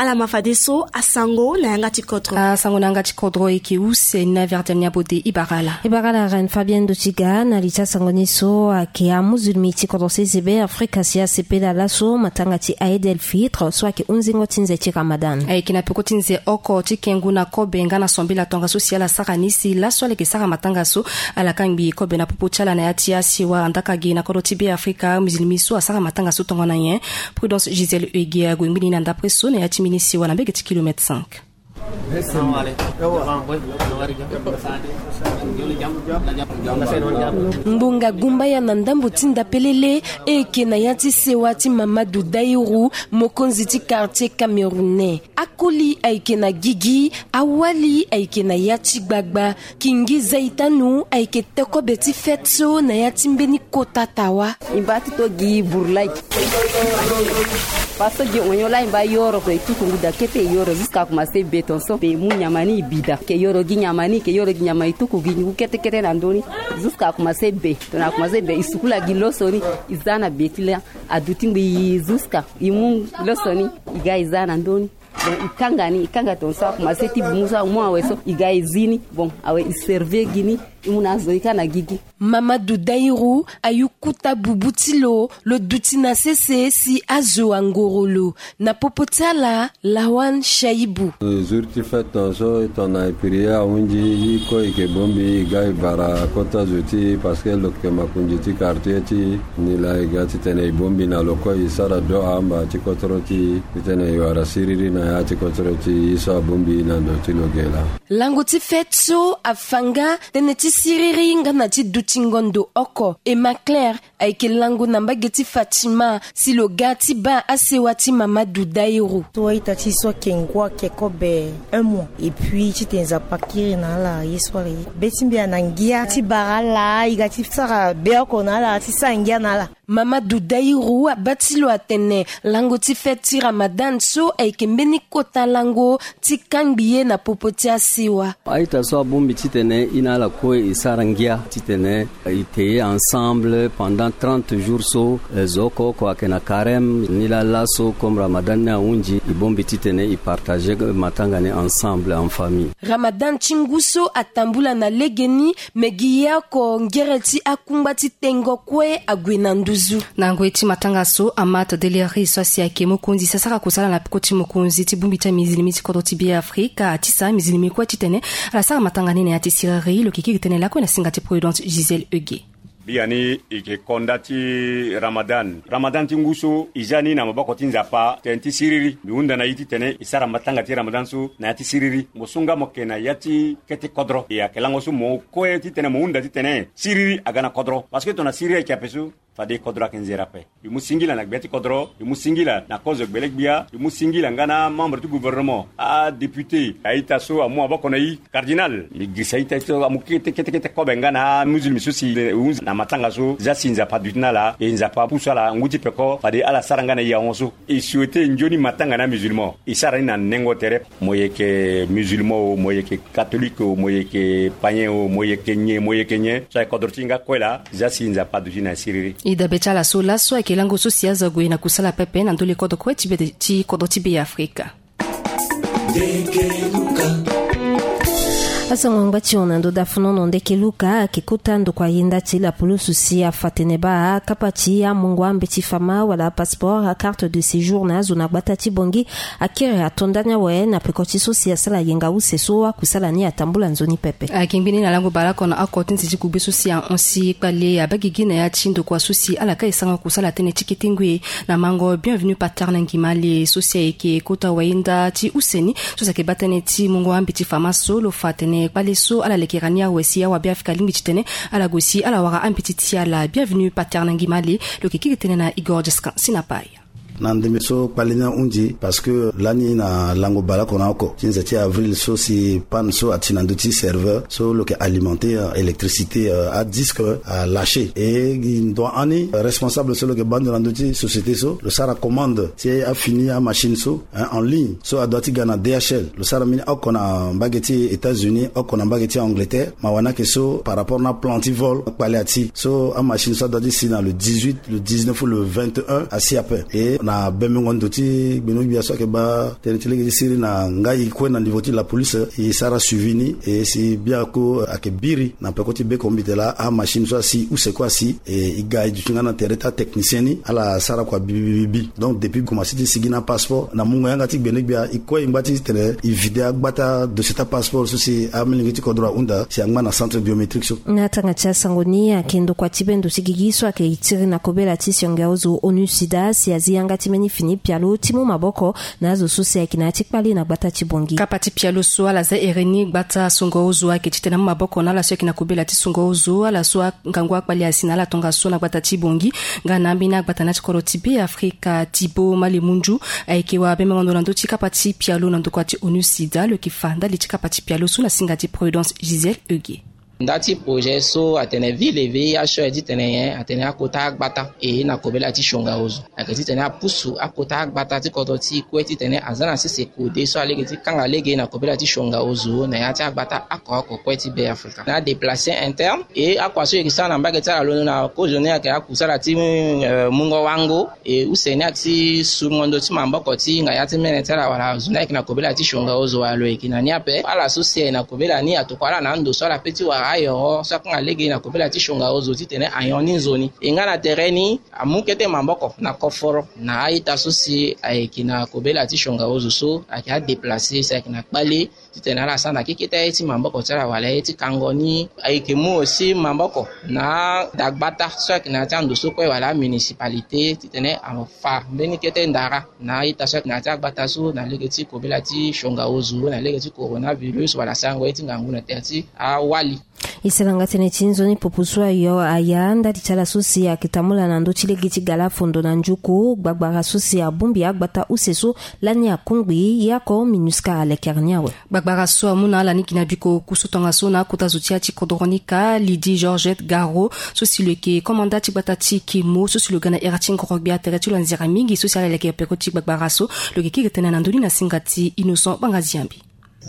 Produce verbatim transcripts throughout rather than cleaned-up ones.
Ala ma fadeso asango na yanga ti kodro. Asango na yanga ti kodro eke use ni na Verdian Niabode. Ibara ala. Ibara ala Reine Fabienne Dotiga. Na li ti asango ni so ayeke amuzulmi ti kodro sese be Afrika si asepela laso matanga ti Aïd el Fitr so ayeke hunzingo ti nze ti Ramadan. Ayeke na peko ti nze oko ti kengu na kobe nga na sombela tongaso si ala sara ni si laso ala yeke sara matanga so ala kangbi kobe na popo ti ala na ya ti asiwa. Andaka gi na kodro ti be Afrika, mizilimi so asara matanga so tongana nyen? Prudence Gisèle Huguet ague ngbi ni na ndapre so na ya ti mbeni siwa na mbege ti kilomètre cinq. Ngbonga gumbaya na ndambo ti ndapelele e yeke na ya ti sewa ti Mamadou Daïrou, mokonzi ti quartier camerounais. Akoli ayeke na gigi, awali ayeke na ya ti gbagba. Kingi Zaitanu ayeke te kobe ti fête so na ya ti mbeni kota tawa. E mba ti to gi burlai. Parce que gi onyo la e mba yoro pe e tuku ngu da kete e yoro jusqu'à commencer béton so pe e mu nyama ni e bi da. Ke yoro gi nyama ni, ke yoro gi nyama e tuku gi ngu kete kete na ndö ni. Jusqu'à commencer be. Tongana commencer be e sukula gi lo so ni e za na be ti la. Aduti ngbii jusqu'à e mu lo so ni e ga e za na ndö ni. Bon, e kanga ni, e kanga tongaso akomanse ti bumu so amu awe so e ga e zi ni. Bon, awe e serve gi ni, e mu na azo ni kâ na gigi. Mamadou Daïrou ayu kota bubu ti lo, lo duti na sese si azo angoro lo. Na popo ti ala, Lawan Shaibou. Jour ti fête tongaso e tongana e prière ahunzi, e kue e yeke bongbi, e ga e bara kota zo ti e parce que lo yeke makonzi ti quartier ti e. Nilaa e ga titene e bongbi na lo kue, e sara doha amba ti kodro ti e titene e wara siriri na ya ti kodro ti e so abongbi na ndo ti lo ge laa. Lango ti fête so afa nga tënë ti siriri nga na ti dutingo ndo oko. Emma Claire ayeke lango na mbage ti Fatima si lo ga ti baa asewa ti Mamadou Daïrou. So a-ita ti e so ayeke ngua ayeke kobe un mois. Et puis titene Nzapa akiri na ala ye so ala ye. Be ti mbi ayeke na ngia ti bara ala, e ga ti sara be oko na ala, ti sara ngia na ala. Mamadou Daïrou abaa ti lo atene lango ti fête ti Ramadan so ayeke mbeni kota lango ti kangbi ye na popo ti asewa. A-ita so abongbi titene e na ala kue e sara ngia titene e te ensemble pendant trente jours so, eh, zo oko oko ayeke na carême. Nilaa laso comme Ramadan ni ahunzi, e bongbi titene e partager matanga ni ensemble en famille. Ramadan ti ngu so atambula na legeni, me gi ye oko ngere ti akungba ti tengo kue ague na nduzu. Na ngoi ti matanga so, Amat Deleri so asi ayeke mokonzi si asara kusala na peko ti mokonzi ti bongbi ti amizilimi ti kodro ti Beafrika atisa amizilimi kue titene ala sara matanga ni na ya ti siriri. Lo yeke kiri tënë lakue na singa ti Prudence Gisèle Huguet. Biani e yeke konda ti Ramadan. Ramadan ti ngu so e zia ni na maboko ti Nzapa, tënë ti siriri. Mbi hunda na e titene e sara matanga ti Ramadan so na ya ti siriri. Mo so nga mo yeke na ya ti kete kodro, e ayeke lango so mo kue titene mo hunda titene siriri aga na kodro. Parce que tongana siriri ayeke ape so, fade kodro ayeke nzere ape. E mu singila na gbia ti kodro, e mu singila na kozo gbele-gbia, e mu singila nga na amembre ti gouvernement, adéputé, a-ita so amu maboko na e, cardinal. Mbi girisa a-ita so amu kete kete kete kobe nga na amizilimi so si e hunzi na matanga so, zia si Nzapa aduti na ala, e Nzapa apusu ala ngu ti peko, fade ala sara nga na e ahon so. E souhaité nzoni matanga na amizilimo e sara ni na nengo tere. Mo yeke musulman o, mo yeke catholique o, mo yeke païen o, mo yeke nyen, mo yeke nyen, so aye kodro ti e nga kue laa, zia si Nzapa aduti na e siriri. E dabe ti ala so laso ayeke lango so si azo ague na kusala pepe na ndö le kodro kue ti be, ti kodro ti Beafrika. Asango angba ti hon na ndo dafunu na ndeke luka ayeke kota ndokua yenda ti lapulusu si afa tene baa akapa ti amungo ambeti fama wala apasseport, acarte de séjour na azo na gbata ti Bangui. Akiri ato ndani awe na peko ti so si asala yenga use so akusala ni atambula nzoni pepe. Ayeke ngbi ni na lango baleoko na oko ti nze ti kugbe so si ahon si kpale abaa gigi na ya ti ndokua so si ala ka e sango kusala tënë ti kete ngoi na mango Bienvenu Pater na ngi male so si ayeke kota wayenda ti use ni so si ayeke baa tënë ti mungo ambeti fama so. Lo fa tene kpale so ala lekera ni awe si awa Beafrika alingbi titene ala gue si ala wara ambeti ti ala. Bienvenu Pater na ngi male. Lo yeke kiri tënë na Igor Jescan Sinapai. Na ndembe so kpale ni ahunzi parce que lani na lango baleoko na oko ti nze ti avril so si panne so ati na ndö ti serveur so lo yeke alimenter, euh, électricité, euh, adisque, euh, alâché. E ndo ani responsable so lo yeke baa ndo na ndö ti société so lo sara commande ti afini amachine so, hein, en ligne so adoit ti ga na D H L. Lo sara mbeni oko na mbage ti États-Unis, oko na mbage ti Angleterre. Mawa ni ayeke so par rapport na plan ti vol kpale ati so amachine so adoit ti si na le dix-huit, le dix-neuf ou le vingt et un asi ape. E na Abemengo ndo ti gbeno gbia so ayeke baa tënë ti lege ti siriri na ngai kue na niveau ti la police e sara suivi ni e si biako ayeke biri na peko ti beko mbi tene laa amachine so asi use kue asi e e ga e duti nga na tere ti atechnicien ni ala sara kua bibibibi. Donc depuis commence ti sigi na passeport na mungo yanga ti gbene gbia e kue e ngba ti tene e vide agbata dossier ti apasseport so si amilenge ti kodro ahunda si angba na centre biométrique so. Na tanga ti asango ni ayeke ndokua ti bendo ti gigi so ayeke tiri na kobela ti sionga ozo onu sida si azi yanga ti mbeni fini pialo ti mu maboko na azo so si ayeke na ya ti kpale na gbata ti bongi. Kapa ti pialo so ala za ere ni gbata songo ozo ayeke titene amu maboko na ala so ayeke na kobela ti songo ozo ala so angangu akpale asi na ala tongaso na gbata ti bongi nga na ambeni agbata na ya ti kodro ti be afrika tibo malemundu ayeke wa bemengo ndo na ndö ti kapa ti pialo na ndokua ti onu sida lo yeke fa ndali ti kapa ti pialo so na singa ti prudence gisèle euge. Nda ti projet so atene ville vih titene nyen atene akota agbata e na kobela ti sionga ozo ayeke titene apusu akota agbata ti kodro ti e kue titene aza na sese kode so alege ti kanga lege na kobela ti sionga ozo na ya ti agbata oko oko kue ti be afrika na adeplace interne. E akua so e yeke sara na mbage ti ala londo na kozo ni ayeke akusala ti mungo wango e use ni ayeke ti sungo ndo ti maboko ti hinga ya ti mene ti ala wala zo ni ayeke na kobela ti sionga ozo wala lo yeke na ni ape ala so si aye na kobela ni atokua ala na ando so ala pe ti wara ayoro so akanga lege na kobela ti sionga ozo titene ayon ni nzoni e nga na tere ni amu kete maboko na koforo na a-ita so si ayeke na kobela ti sionga ozo so ayeke adeplace si ayeke na kpale titene ala sara na kekete aye ti maboko ti ala wala aye ti kango ni. Ayeke mu aussi maboko na adagbata so ayeke na ya ti ando so kue wala amunicipalité titene afa mbeni kete ndara na a-ita so ayeke na ya ti agbata so na lege ti kobela ti sionga ozo na lege ti coronavirus wala sarango ye ti ngangu na tere ti awali. E sara nga tënë ti nzoni popo so ayo aya ndali ti ala so si ayeke tambula na ndö ti lege ti gala fondo na njuku gbagbara so si abongbi agbata use so lani akungbi ye oko minusca alekere ni awe. Gbagbara so amu na ala ni gi na biko oku so tongaso na akota zo ti ya ti kodro ni ka lydie georgette garo so si lo yeke komanda ti gbata ti kemo so si lo ga na ere ti ngoro gbia tere ti lo anzere mingi so si ala leke peko ti gbagbara so lo yeke kiri tënë na ndö ni na singa ti innocent bangaziambi.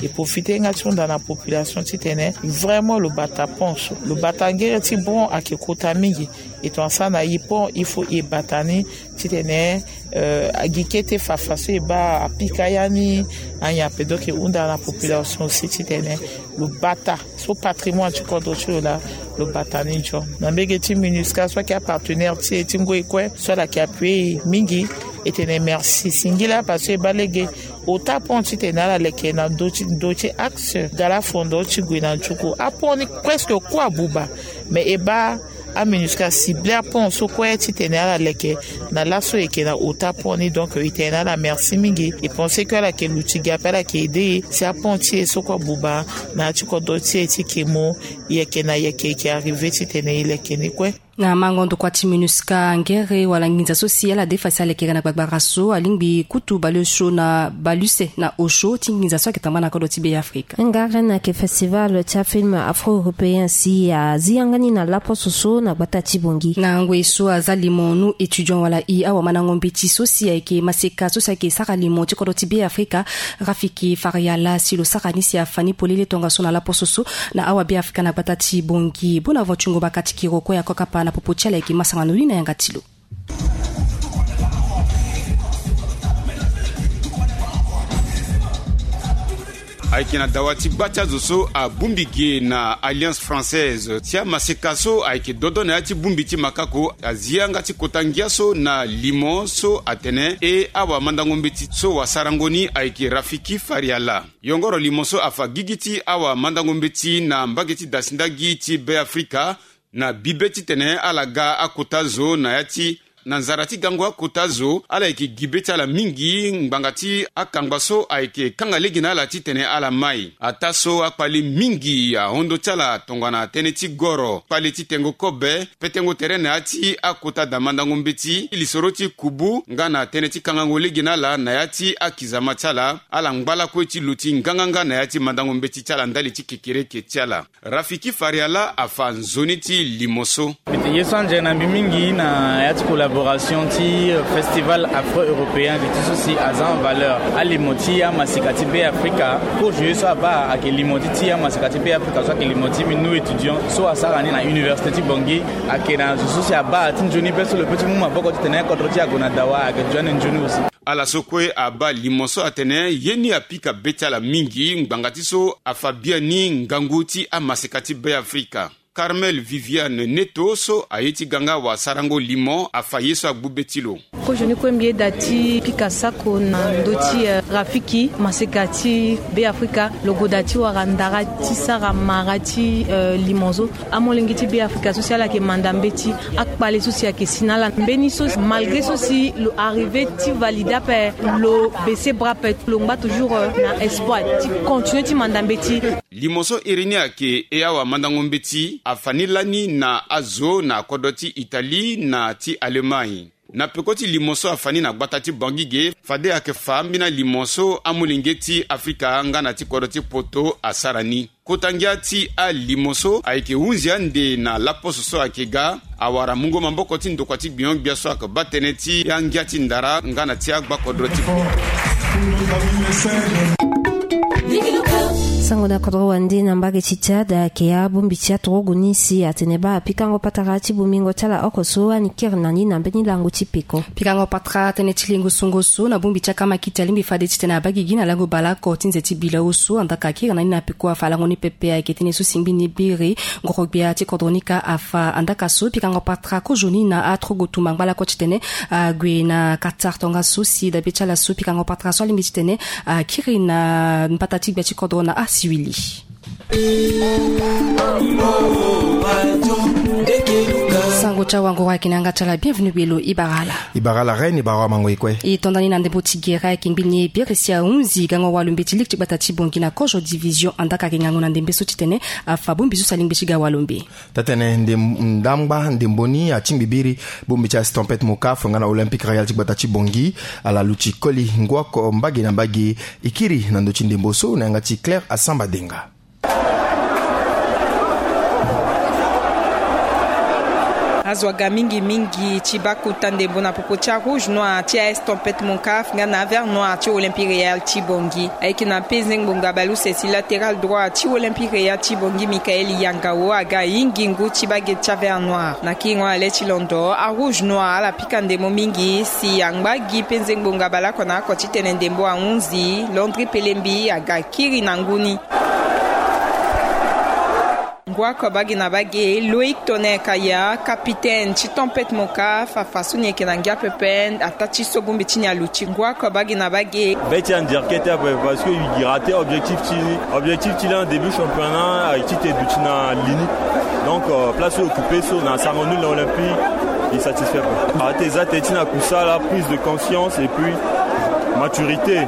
E profite nga ti hunda na population titene vraiment lo bata pont so lo bata ngere ti bon ayeke kota mingi. E tonga sara na e pont il faut e bata ni titene euh, agi kete fafa so e baa apika ya ni anyen ape. Donc e hunda na population aussi titene lo bata so patrimoine ti kodro ti lo laa lo bata ni nzoni na mbege ti minusca so ayeke apartenaire ti e ti ngoi kue so ala yeke appuyer e mingi. E tene merci singila parce que e baa lege ota pont titene ala leke na ndö ti ndö ti axe gala fondo ti gue na njuku apont ni presque kue abuba. Mais e baa aminusca cible apont so kue titene ala leke na laso e yeke na ota pont ni. Donc e tene na ala merci mingi. E pense que ala yeke luti gi ape ala yeke aide e si apont ti e so kue abuba na ya ti kodro ti e ti kemo. E yeke na yeke e yeke arrive titene e leke ni kue. Na mango ndokua ti minusca ngere wala nginza so si ala defa si alekere na gbagbara so alingbi kutu baleosio na baleuse na osio ti nginza so ayeke tamba na kodro ti be afrika. Nga rene ayeke festival ti afilm afro-européen si azi yanga ni na laposo so na gbata ti bongi. Na ngoi so aza limo nu étudiant wala i awamandango mbeti so si ayeke maseka so si ayeke sara limo ti kodro ti be afrika rafiki fariala si lo sara ni si afa ni polele tongaso na laposo so na awa be afrika na gbata ti bongi bona vo ti ngu baka ti kiro kue ako kapa na popo ti ala yeke masanga no ni na yanga ti lo. Ayeke na dawa ti gba ti azo so abongbi ge na alliance française ti amaseka so ayeke dodo na ya ti bongbi ti makako azi yanga ti kota ngia so na limo so atene e awamandango mbeti so wasarango ni ayeke rafiki fariala. Yongoro limo so afa gigi ti awamandango mbeti na mbage ti dasi ndagi ti be afrika na bibe titene ala ga akota zo na ya ti na nzara ti gango akota zo ala yeke gi be ti ala mingi ngbanga ti akangba so ayeke kanga lege na ala titene ala mai. Ataa so akpale mingi ahondo ti ala tongana tënë ti goro kpale ti tengo kobe petengo tere na ya ti akota damandango mbeti lisoro ti kubu nga na tënë ti kangango lege na ala na ya ti akizama ti ala ala ngba lakue ti lo ti nganganga na ya ti mandango mbeti ti ala ndali ti kekereke ti ala. Rafiki fariala afa nzoni ti limo so. Mbi te ye so anzere na mbi mingi na ya ti kola. Collaboration ti festival afro-européen ti so si aza en valeur. Alimo ti amaseka ti Beafrika, course ye so abaa ayeke limo ti ti amaseka ti Beafrika so ayeke limo ti minu étudiant so asara ni na université ti Bangui. Ayeke na zo so si abaa ti nzoni be so lo pe ti mu maboko titene kodro ti e ague na dawa, ayeke zo ande nzoni aussi. Ala so kue abaa limo so atene ye ni apika be ti ala mingi ngbanga ti so afa biani ngangu ti amaseka ti Beafrika. Carmel Viviane Neto so aye ti ga nga wasarango limo afa ye so agbu be ti lo. Kozo ni kue mbi yeda ti pika sako na ndö ti, eh, rafiki maseka ti Beafrika, lo goda ti wara ndara ti sara mara ti, eh, limo so. Amolenge ti Beafrika so si ala yeke manda mbeti, akpale so si ayeke si na ala mbeni so, malgré so si lo arrivé ti valide ape, lo baissé bras ape, lo ngba toujours, eh, na espoir ti continuer ti manda mbeti. Limo so iri ni ayeke e awamandango mbeti afa ni lani na azo na kodro ti Italie na ti Allemagne. Na peko ti limo so afa ni na gbata ti Bangui ge, fade ayeke fa ambeni alimo so amolenge ti Afrika nga na ti kodro ti poto asara ni. Kota ngia ti alimo so ayeke hunzi ande na laposo so ayeke ga, awara mungo maboko ti ndokua ti gbingo-gbia so ayeke baa tënë ti angia ti ndara nga na ti agbakodro ti Sango na kodro wande na mbage ti Tchad ayeke abongbi ti aturugu ni si atene baa pikango patara ti bongbingo ti ala oko so ani kiri na ni na mbeni lango ti peko. Pikango patara tënë ti lingo sungo so na bongbi ti akamakiti alingbi fade titene abaa gigi na lango baleoko ti nze ti bilau so andaa ka kiri na ni na peko afa lango ni pepe ayeke tënë so si ngbi ni biri ngoro-gbia ti kodro ni ka afa. Andaa ka so pikango patara kozo ni na aturugu tumba ngbalako titene ague na Qatar tongaso si dabe ti ala so pikango patara so alingbi titene akiri na mbata ti gbia ti kodro na asiwili. Sango ti awanguru ayeke na yanga ti ala bienvenu belo. E bara ala. E bara ala reine, e bara awamango e kue. E to nda ni na ndembo ti gere ayeke ngbi ni e biri si ahunzi gango walo mbeti ligue ti gbata ti Bangui na kozo division andaa ka ayeke ngangu na ndembe so titene afa bongbi so si alingbi ti ga walo mbe. Tatene ndam- ndangba ndembo ni atingbi biri bongbi ti Estampette Mocaf nga na Olympique Royal ti gbata ti Bangui. Ala luti koli ngu oko mbage na mbage. E kiri na ndö ti ndembo so na yanga ti Claire Asamba Denga. Azo aga mingi mingi ti baa kota ndembo na popo ti arouge noir ti Estampette Mocaf nga na avert noir ti Olympique Royal ti Bangui. Ayeke na penze ngbonga baleuse si latéral droit ti Olympique Royal ti Bangui Michael Yangao aga ahingi ngu ti baa ge ti avert noir. Na kiringo na le ti londo arouge noir ala pika ndembo mingi si angba gi penze ngbonga baleoko na oko titene ndembo ahunzi. Landry Pelembi aga kiri na ngu ni. Ngu oko baa ge na baa ge, Loïc Tonnerre Kaya, capitaine ti Tempête Mocaf, afa so ni yeke na ngia pepe ataa ti so bongbi ti ni aluti. Ngu oko baa ge na baa ge. Be ti andirke ti ape parce que i rate objectif ti ni. Objectif ti lani début championnat ayeke ti te duti na li ni. Donc, euh, place so occupé so na sango nul na Olympique, i satisfait pas. Ate eza te ti na kusala, prise de conscience et puis maturité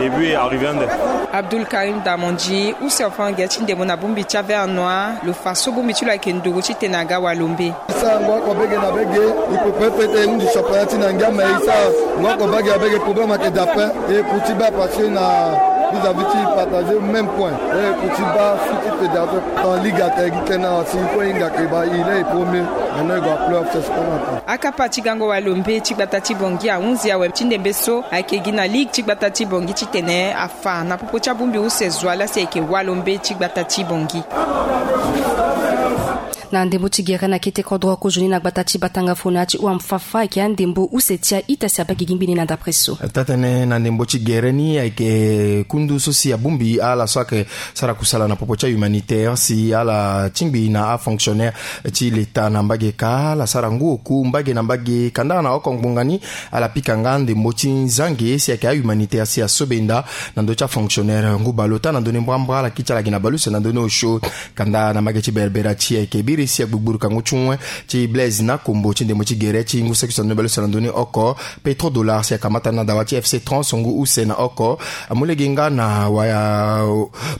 et puis arrivé ande. Abdoul Karim Damondi, use ofo na ge ti ndembo na bongbi ti avert noir, lo fa so bongbi ti lo ayeke nduru titene aga walo mbe. Sango oko bege na bege, i prépare peut-être e hunzi championnat ti na ngia, mais i sa ngo oko baa ge na bege, problème ayeke daa ape. E ku ti baa parce que na vis-à-vis ti partager même point. E ku ti baa fii ti fédération. Dans ligue ayeke gi tënë na si i kue i hinga ke baa i laa i premier. Maintenant i gue na playoff, c'est ce qu'on attend. Akapa ti gango walo mbe ti gbata ti Bangui ahunzi awe ti ndembe so ayeke gi na ligue ti gbata ti Bangui titene afa na popo ti abongbi use zo ala si ayeke walo mbe ti gbata ti Bangui. Na ndembo ti gere na kete kodro kozoni na gbata ti Batanga Fona ti Ouamfafa ayeke andembo use ti a-ita si abaa gigi ngbene na dapre so. Tatene na ndembo ti gere ni ayeke kundu so si abongbi ala so ayeke sara kusala na popo ti ahumanitaire si ala tingbi na afonctionnaire ti leta na mbage ka ala sara ngu oku mbage na mbage kanda na oko ngbonga ni. Ala pika nga ndembo ti nzange si ayeke ahumanitaire si asobenda na ndö ti afonctionnaire ngu baleota na ndö ni mbrambra ala kiri ti ala gi na baleuse na ndö ni osio. Kanda na mbage ti Berbera ti ayeke biri si agbugburuka ngu ti wen ti Blaise Nakombo ti ndembo ti gere ti ngu saki so na ndö ni baleuse na ndö ni oko. Petro Dollar si akamata na dawa ti F C Trans ngu use na oko. Amu lege nga na wa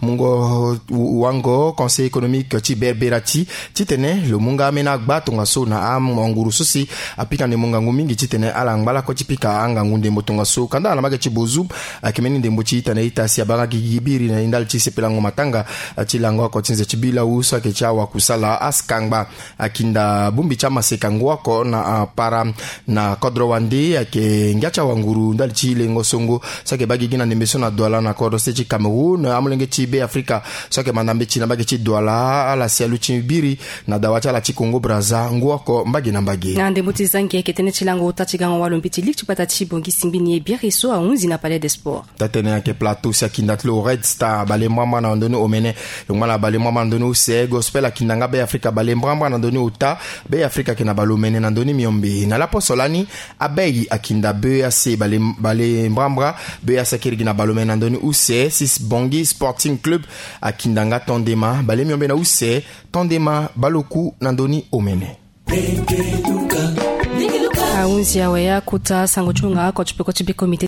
mungo wango Conseil économique ti Berbera ti titene lo mu nga ambeni agba tongaso na anguru so si apika ndembo ngangu mingi titene ala ngba lakue ti pika angangu ndembo tongaso kanda na mbage ti Bozoum. Ayeke mbeni ndembo ti ita na ita si abaa nga gigi biri na ndali ti sepelango matanga ti lango oko ti nze ti bilau so ayeke ti awakusala ask Kangba akinda bongbi ti amaseka ngu oko na apara na kodro wande ayeke ngia ti awanguru ndali ti lengo songo so ayeke baa gigi na ndembe so na Douala na kodro state ti Cameroun. Amolenge ti Be Afrika so ayeke manda mbeti na mbage ti Douala ala si aluti biri na dawa ti ala ti Congo Brazza ngu oko mbage na mbage. Na ndembo ti zangi ayeke tënë ti lango ota ti gango walo mbeti ligue ti gbata ti Bangui Simbini ye biere so ahunzi na Palais des Sports. Taa-tënë ayeke Plateau si akinda ti lo Red Star bale mbrambra na ndoni omene. Lo ngba na bale mbrambra na ndoni use. Gospel akinda nga Be Afrika bale mbrambra na ndoni ota. Be Afrika ayeke na bale omene na ndoni miombe. Na laposo lani, Abei akinda Be Ac bale, bale mbrambra. Be Ac ayeke iri gi na bale omene na ndoni use. Sis Bangui Sporting Club akinda nga Tondema bale miombe na use. Tondema bale oku na ndoni omene. Ahunzi awe akota sango ti hunga oko ti peko ti be komite